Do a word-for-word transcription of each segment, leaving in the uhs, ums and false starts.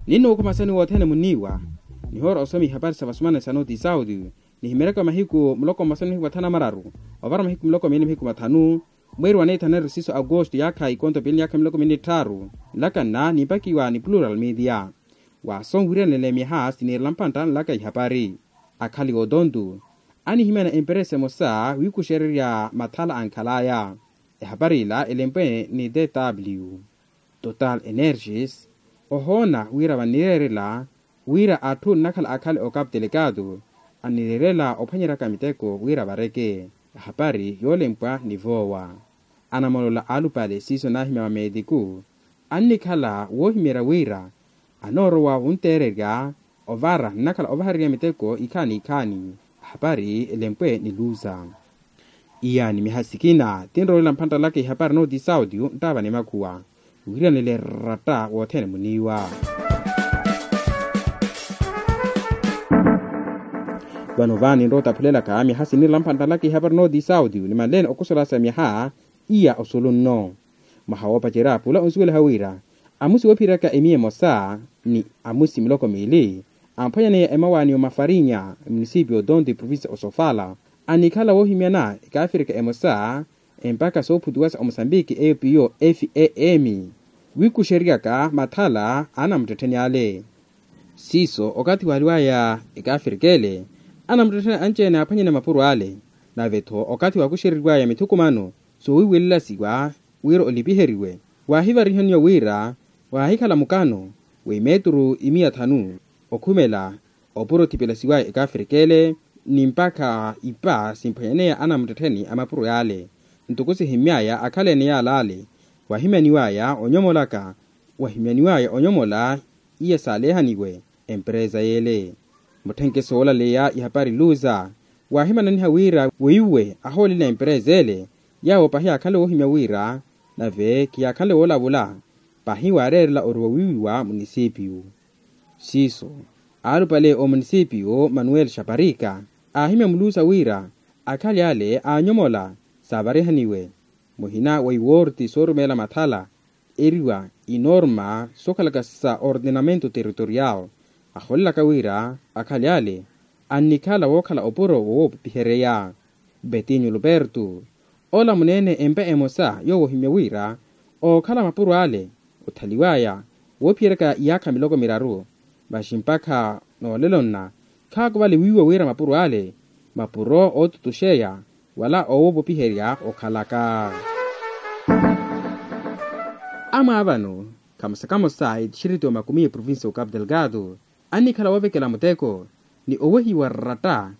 Ninnuukhumasani wothene muniiwa nihoora osoma ihapari sa vasumana sa noti sauti. Nihimeryaka mahiku muloko mmasani mahiku mathanu amararu ovara mahiku muloko miili mahiku mathanu. Mweeri wa neithaneri siso agosto yaakha ikonto piili yaakha miloko miili ni tthaaru. Nlaka nna nimpakiwa ni plural media. Waaso nwiriyanela emyaha siniirela mpantta nlaka ihapari. Akhali ootontu anihimyana emperesa emosa wiikuxererya mathala ankhal'aya. Ehapari ila elempwe ni tw total energies ohoona wira vannireerela wira atthu nnakhala akhale okapu telekatu annireerela ophwanyeryaka miteko wira vareke. Ehapari yoolempwa ni voowa anamolola alupale siiso naahimya mameetiku annikhala woohimeerya wira anoorowa wunteererya ovara nnakhala ovaharerya miteko ikhaani ikhaani. Ehapari elempwe ni luza. Iyaani miha sikina tinrowelela mphantta laka ihapari nooti sauti nttaava ni makhuwa. Wiiranele ratta wothene muniiwa. Vano vaani nrowa otaphulelaka miha siniirela mphantta laka ihapari nooti sauti nimanleene okosolasa miha iya osulu nno. Mwaha woopacerya pula onsuweliha wira amusi woophiyeryaka emiya emosa ni amusi miloko miili amphwanyaneya emawaani omafarinha munisipio tonto eprovincia osofala annikhala woohimyana ekaafirika emosa empakha soophutiwasa omusambiki eyo piyo f a m wiikuxeryaka mathala anamuttettheni ale. Siiso okathi waaliwaya ekaafirika ele anamuttettheni anci-ene aaphwanyane mapuro ale. Nave-tho okathi waakuxereriwaya mithukumano soowiiwelelasiwa wira olipiheriwe waahivarihaniwa wira waahikhala mukano w'imeturu imiya thanu okhumela opuro othipelasiwaya ekaafirika ele ni mpakha ipa simphwanyaneya anamuttettheni a mapuro yaale. Ntoko sihimmyaya akhaleene yaale ale wahimyaniwaya onyomolaka wahimyaniwaya onyomola iya saalehaniwe empereza yeele. Mutthenkeso woolaleya ihapari luza waahimananiha wira weiwe ahoolela empereza ele yaawo pahi aakhanle woohimya wira nave khiyaakhanle woolavula pahi waareerela ori wawiiwiwa munisipiyu. Siiso aalupale omunisipiyu manuel xaparika aahimya mulusa wira akhali ale aanyomola saavarihaniwe muhina wa iwoorti soorumeela mathala eriwa inorma sookhalaka sa ordenamento territorial. Aholelaka wira akhali ale annikhala wookhala opuro woowopihereya betinho luperto ola muneene empa emosa yoowohimya wira ookhala mapuro ale othaliwaya woophiyeryaka iyaakha miloko miraru. Masi mpakha noolelo nna khaakuvale wiiwa wira mapuro ale mapuro ootutuxeya wala oowopopiherya okhalaka. Amwaavano kamosa kamosa etixiriti omakumi eprovincia okapu delgado annikhala woovekela muteko ni owehiwa ratta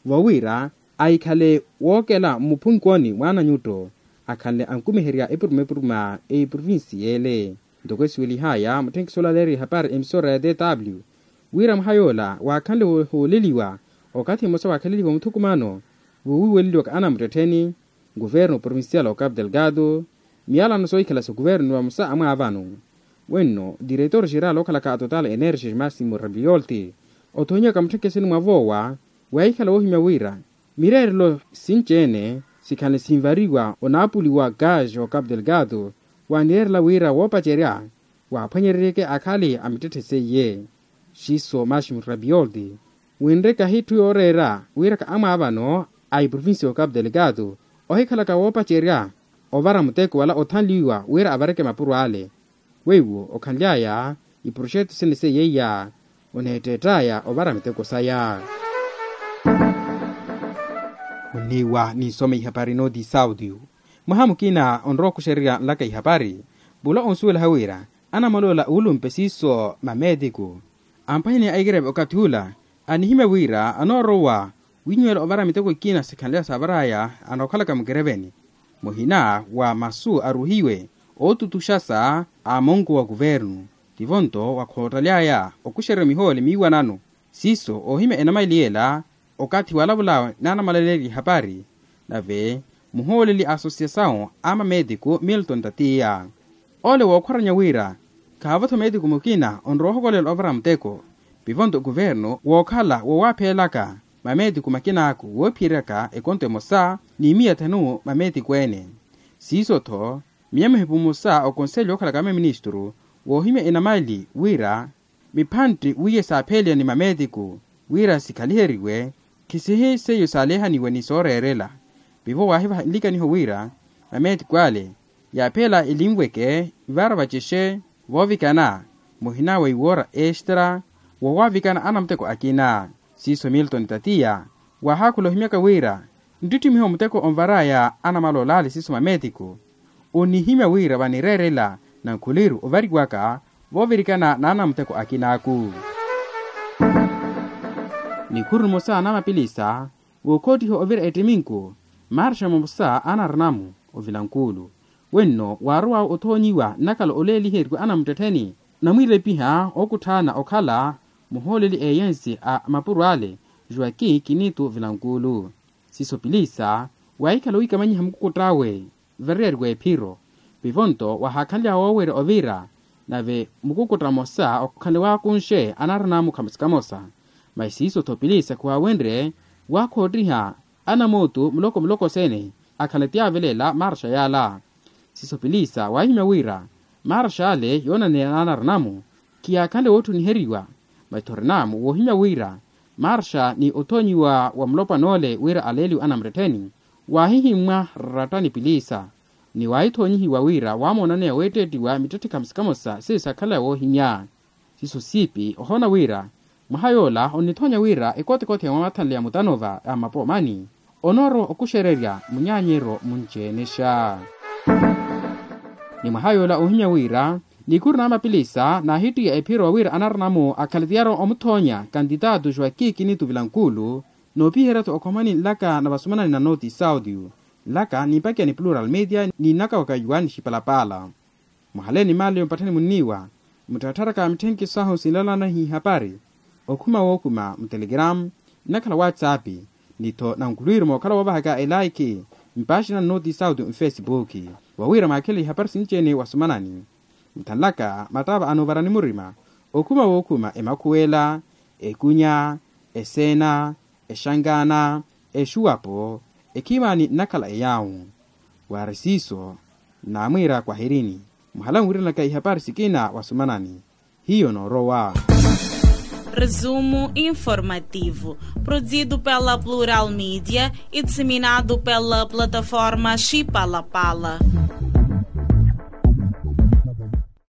vowira ahikhale wookela mmuphunkooni mwaananyutto akhanle ankumiherya epuruma epuruma eprovincia ele. Ntoko esiwelihaya mutthenkiso olaleeriwa ehapari emisora ya tw wira mwaha yoola waakhanle wohooleliwa okathi mmosa waakhaleliwa muthukumano voowiiweleliwaka anamuttettheni guvernu provincial okapu delgado miyalano soohikhala sa guvernu vamosa amwaavano. Wenno diretor geral ookhalaka atotal energy maximo rabiolti othonyiwaka mutthekheseni mwa voowa waahikhala woohimya wira mireerelo sinci-ene sikhanle sinvariwa onaapuli wa gaz okapu delgado waanireerela wira woopacerya waaphwanyereryeke akhali a mittetthe seiye. Siiso maximo rabiolti winreke ahitthu yooreera wiraka amwaavano a iprovincia okapu delgado ohikhalaka woopacerya ovara muteko wala othanliwa wira avareke mapuro ale. Weiwo okhanly'aya iproxeto sene seiya oneetteett'aya ovara miteko saya. Muniiwa ninsome ihapari nooti sauti. Mwaha mukina onrowa okuxererya nlaka ihapari pula onsuwelaha wira anamoloola uulumpe siiso mameetiku amphwanyaneya aikireve okathi ula anihimya wira anoorowa winyuwela ovara miteko ikina sikhanly'aya saavar'aya anookhalaka mukireveni muhina wa masu aruhiwe ootutuxasa a monko wa kuvernu tivo nto wakhoottaly'aya okuxerya mihoole miiwanano. Siiso oohimya enamaili ela okathi walavula naanamalaleerya ihapari nave muhooleli a asosiasawu a mameetiku milton tatiya ole wookhwaranya wira khaavo-tho meetiku mukina onrowa ohokolela ovara muteko pivo nto kuvernu wookhala wowaapheelaka mameetiku makin'aku woophiyeryaka ekonto emosa ni miya thanu mameetiku ene. Siiso-tho miya muhipu mmosa okonselyo ookhalaka maministru woohimya enamaili wira miphantti wiiye saapheeliya ni mameetiku wira sikhaliheriwe, khisihi seiyo saalehaniwe ni sooreerela. Pivo waahivaha nlikaniho wira mameetiku ale yaapheela elinweke ivara vacexe voovikana muhina wa iwoora extra wowaavikana anamuteko akina. Siiso milton tatiya waahaakhula ohimyaka wira nttittimiho muteko onvaraya anamala olaali siiso mameetiku. Onihimya wira vanireerela nankhuliru ovariwaka voovirikana n'anamuteko akinaaku. Nikhuru nimosa n'amapilisa vookhoottiha ovira ettiminku marxa momosa anarinamu ovilankuulu. Wenno waarowawe othoonyiwa nnakhala oleeliheriwa anamuttettheni namwiilepiha okutthaana okhala muhooleli eeyensi a mapuro ale joaquin kinitu vilankuulu. Siiso pilisa waahikhala wiikamanyiha mukukutt'awe vareeriwa ephiro. Vivonto wahaakhanlya woowerya ovira nave mukukutta mmosa okhanle waakunxe anarina mukhamosa kamosa. Masi siiso-tho pilisa khiwaawenrye waakhoottiha anamootu muloko muloko sene akhanle ti avelela marxa yaala. Siiso pilisa waahimya wira marxa ale yoonaneya n'anarina-mu khiyaakhanle wootthuniheriwa. Masi-tho rina-mu woohimya wira marxa ni othoonyiwa wa mulopwana ole wira aleeliwe anamuttettheni waahihimmwa raratta ni pilisa. Ni waahithoonyihiwa wira waamoonaneya weetteettiwa mittetthe khamosa khamosa seiyo saakhala woohimya. Siiso siipi ohoona wira mwaha yoola onnithoonya wira ekotekothe ya mwamathanle ya mutanova a mapoomani onoorowa okuxererya munyaanyeryo munci-enexa. Ni mwaha yoola oohimya wira nikhuru n'amapilisa naahittiya ephiro wira anarina-mu akhale tiyari omuthoonya kantitaatu joaquin kinitu vilankuulu noopiherya-tho okhomani nlaka na vasumanani na noti saudio nlaka nimpakiya ni plural media ni nnaka wa kayuwani xipalapaala. Muhaleeni maali ompatthani munniiwa mutthattharaka mitthenki sahu sinlalana n'ihapari okhuma wookhuma mutelegramu nnakhala whatsapp ni-tho nankhulwiru mookhala woovahaka elaikhi mpaaxina nnooti sauti nfesipuki wawira mwaakhele ihapari sinci-ene wasumanani. Muthanlaka mattaava anoovarani murima okhuma wookhuma emakhuwela ekunya eseena exangaana exuwapo ekhimaani nnakhala eyaawu. Waari siiso naamwiira kwahirini muhala nwiiranaka ihapari sikina wasumanani hiyo noorowa. Resumo informativo, produzido pela Plural Mídia e disseminado pela plataforma Chipalapala.